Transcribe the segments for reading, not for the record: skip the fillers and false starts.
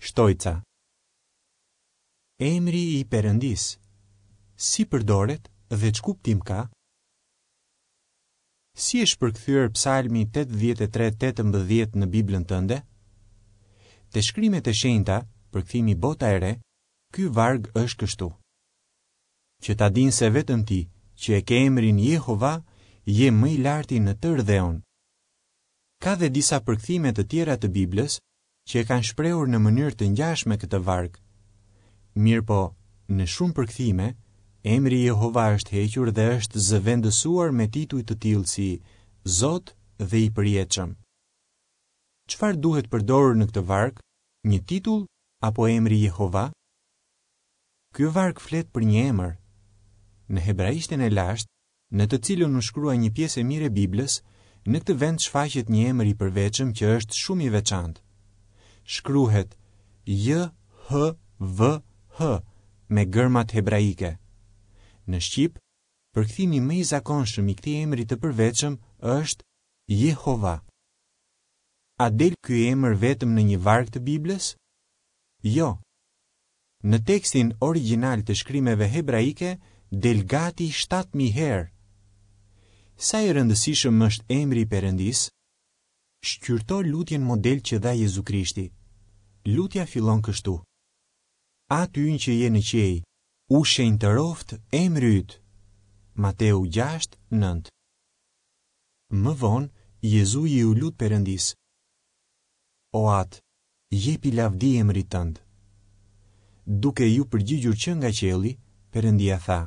Shtojca. Emri i Perëndisë, si përdoret dhe ç'kuptim ka? Si është përkthyer Psalmi 83 18 në Biblën tënde? Te Shkrimet e Shenjta, përkthimi Bota e Re, ky varg është kështu. Që ta dinë se vetëm ti, që e ke emrin Jehova, je më i larti në tërë dheun. Ka dhe disa përkthime të tjera të Biblës që e kanë shprehur në mënyrë të ngjashme këtë varg. Mirëpo, në shumë përkthime, emri Jehova është hequr dhe është zëvendësuar me tituj të tillë si Zot dhe i Përjetshëm. Çfarë duhet përdorur në këtë varg, një titull apo emri Jehova? Ky varg flet për një emër. Në hebraishten e lashtë, në të cilën u shkrua një pjesë e mirë e Biblës, në këtë vend shfaqet një emër i përveçëm që është shumë i veçantë. Shkruhet J H V H me gërmat hebraike. Në shqip, përkthimi më i zakonshëm i këtij emri të përveçëm është Jehova. A del ky emër vetëm në një varg të Biblës? Jo. Në tekstin origjinal të shkrimeve hebraike del gati 7000 herë. Sa i rëndësishëm është emri i Perëndisë? Shqyrto lutjen model që dha Jezu Krishti. Lutja fillon kështu: Ati ynë që je në qiej, u shenjtëroftë emri yt. Mateu 6, 9. Më vonë, Jezui iu lut Perëndisë: O Atë, Jepi lavdi emrit tënd. Duke iu përgjigjur që nga qielli, Perëndia tha,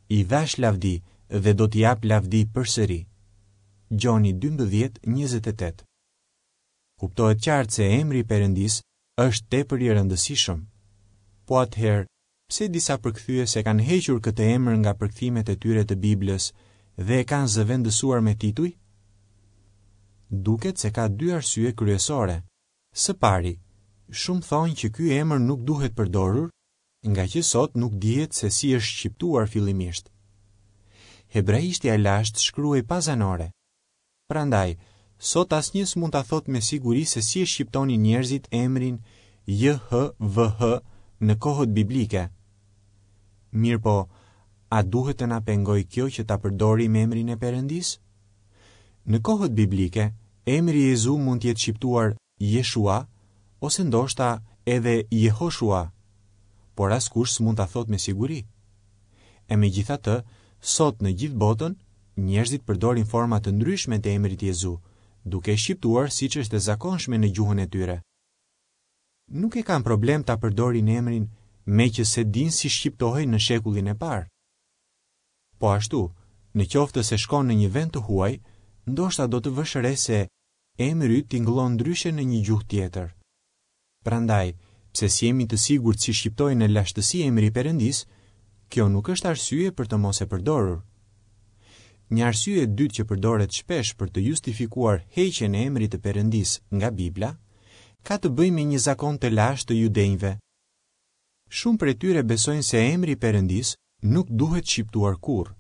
I dhashë lavdi dhe do t'i jap lavdi përsëri. Gjoni 12, 28. Kuptohet qartë se emri i Perëndisë është tepër i rëndësishëm. Po atëherë, pse disa përkthyes e kanë hequr këtë emër nga përkthimet e tyre të Biblës dhe e kanë zëvendësuar me tituj? Duket se ka dy arsye kryesore. Së pari, shumë thonë që ky emër nuk duhet përdorur, ngaqë sot nuk dihet se si është shqiptuar fillimisht. Hebraishtja e lashtë shkruhej pa zanore. Prandaj, sot asnjë s'mund ta thotë me siguri se si e shqiptonin njerëzit emrin JHVH në kohët biblike. Mirëpo, a duhet të na pengojë kjo që ta përdorim emrin e Perëndisë? Në kohët biblike, emri Jezu mund të jetë shqiptuar Jeshua ose ndoshta edhe Jehoshua, por askush s'mund ta thotë me siguri. E megjithatë, sot në gjithë botën, Njerëzit përdorin forma të ndryshme të emrit Jezu, duke e shqiptuar siç është e zakonshme në gjuhën e tyre. Nuk e kanë problem ta përdorin emrin meqë s'e dinë si shqiptohej në shekullin e parë. Po ashtu, në qoftë se shkon në një vend të huaj, ndoshta do të vësh re se emri yt tingëllon ndryshe në një gjuhë tjetër. Prandaj, pse s'jemi të sigurt si shqiptohej në lashtësi emri i Perëndisë, kjo nuk është arsye për të mos e përdorur. Një arsye e dytë që përdoret shpesh për të justifikuar heqjen e emrit të Perëndisë nga Bibla, ka të bëjë me një zakon të lashtë të judenjve. Shumë prej tyre besojnë se emri i Perëndisë nuk duhet shqiptuar kurrë.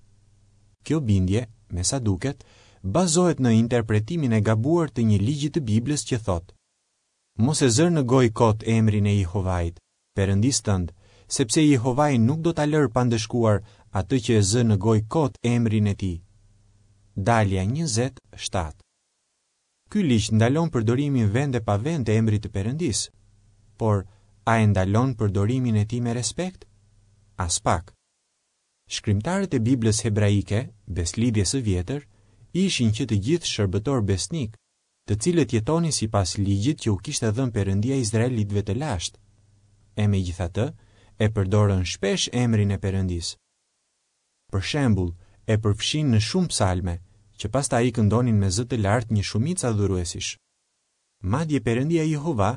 Kjo bindje, me sa duket, bazohet në interpretimin e gabuar të një ligji të Biblës që thotë: Mos e zër në gojë kot emrin e Jehovait, Perëndisë tënd, sepse Jehovai nuk do ta lërë pa ndëshkuar atë që e zë në gojë kot emrin e tij. Dalja 20, 7. Ky ligj ndalon përdorimin vend e pa vend të emrit të Perëndisë. Por, a e ndalon përdorimin e tij me respekt? Aspak. Shkrimtarët e Biblës hebraike, Besëlidhjes së Vjetër, ishin që të gjithë shërbëtorë besnikë, të cilët jetonin sipas ligjit që u kishte dhënë Perëndia izraelitëve të lashtë. E megjithatë, e përdorën shpesh emrin e Perëndisë. Për shembull, e përfshinë në shumë psalme, që pastaj i këndonin me zë të lartë një shumicë adhuruesish. Madje Perëndia Jehova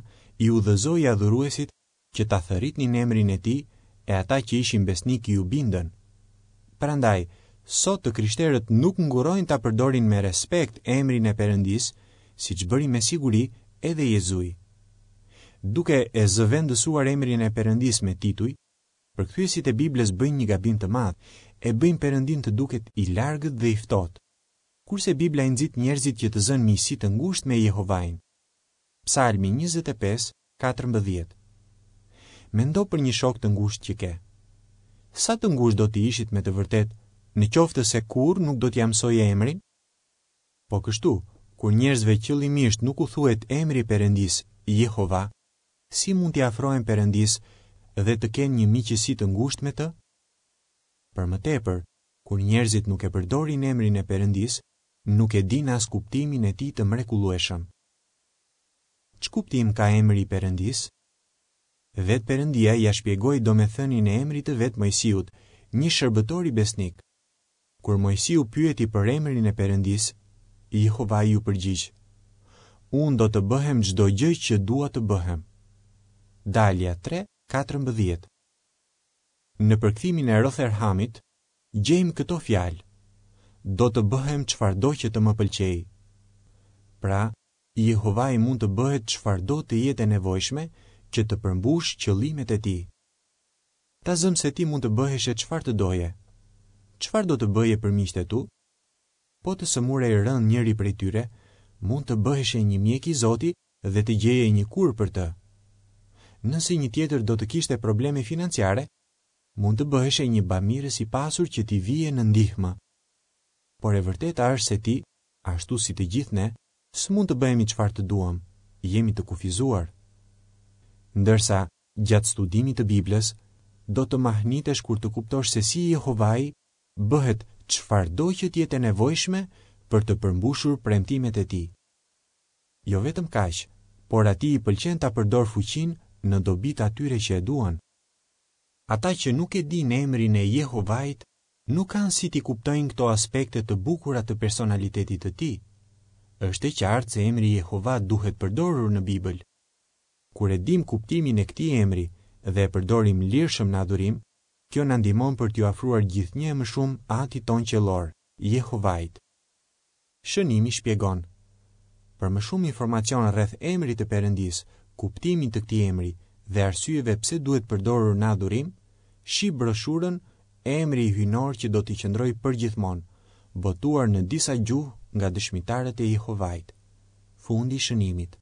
i udhëzoi adhuruesit që ta thërritnin emrin e tij e ata që ishin besnikë iu bindën. Prandaj, sot të krishterët nuk ngurrojnë ta përdorin me respekt emrin e Perëndisë, siç bëri me siguri edhe Jezui. Duke e zëvendësuar emrin e Perëndisë me tituj, përkthyesit e Biblës bëjnë një gabim të madh, e bëjnë Perëndinë të duket i largët dhe i ftohtë. Kurse Bibla i nxit njerëzit që të zënë miqësi të ngushtë me Jehovain. Psalmi 25. 14. Mendo për një shok të ngushtë që ke. Sa të ngushtë do të ishit me të vërtetë në qoftë se kurrë nuk do t'ia mësoje emrin? Po kështu, kur njerëzve qëllimisht nuk u thuhet emri i Perëndisë, Jehova, si mund t'i afrohen Perëndisë dhe të kenë një miqësi të ngushtë me të? Për më tepër, kur njerëzit nuk e përdorin emrin e Perëndisë, nuk e dinë as kuptimin e tij të mrekullueshëm. Ç'kuptim ka emri i Perëndisë? Vetë Perëndia ia shpjegoi domethënien e emrit të vet Moisiut, një shërbëtori besnik. Kur Moisiu pyeti për emrin e Perëndisë, Jehovai iu përgjigj, Unë do të bëhem çdo gjë që dua të bëhem. Dalja 3, 14 Në përkthimin e Rotherhamit, gjejmë këto fjalë, Do të bëhem çfarëdo që të më pëlqejë. Pra, Jehovai mund të bëhet çfarëdo të jetë e nevojshme që të përmbushë qëllimet e tij. Ta zëmë se ti mund të bëheshe çfarë të doje. Çfarë do të bëje për miqtë e tu? Po të sëmurej rëndë njëri prej tyre, mund të bëheshe një mjek i zoti dhe të gjeje një kurë për të. Nëse një tjetër do të kishte probleme financiare, mund të bëheshe një bamirës i pasur që t'i vije në ndihmë. Por e vërteta është se ti, ashtu si të gjithë ne, s'mund të bëhemi çfarë të duam, jemi të kufizuar. Ndërsa, gjatë studimit të Biblës, do të mahnitesh kur të kuptosh se si Jehovai bëhet çfarëdo që të jetë e nevojshme për të përmbushur premtimet e tij. Jo vetëm kaq, por atij i pëlqen ta përdorë fuqinë në dobi të atyre që e duan. Ata që nuk e dinë emrin e Jehovait nuk kanë si t'i kuptojnë këto aspekte të bukura të personalitetit të tij. Është e qartë se emri Jehova duhet përdorur në Bibël. Kur e dimë kuptimin e këtij emri dhe e përdorim lirshëm në adhurim, kjo na ndihmon për t'iu afruar gjithnjë e më shumë Atit tonë qiellor, Jehovait. Shënimi shpjegon, Për më shumë informacion rreth emrit të Perëndisë, kuptimit të këtij emri dhe arsyeve pse duhet përdorur në adhurim, shih broshurën Emri hyjnor që do t'i qëndrojë përgjithmonë, botuar në disa gjuhë nga Dëshmitarët e Jehovait. Fundi i shënimit.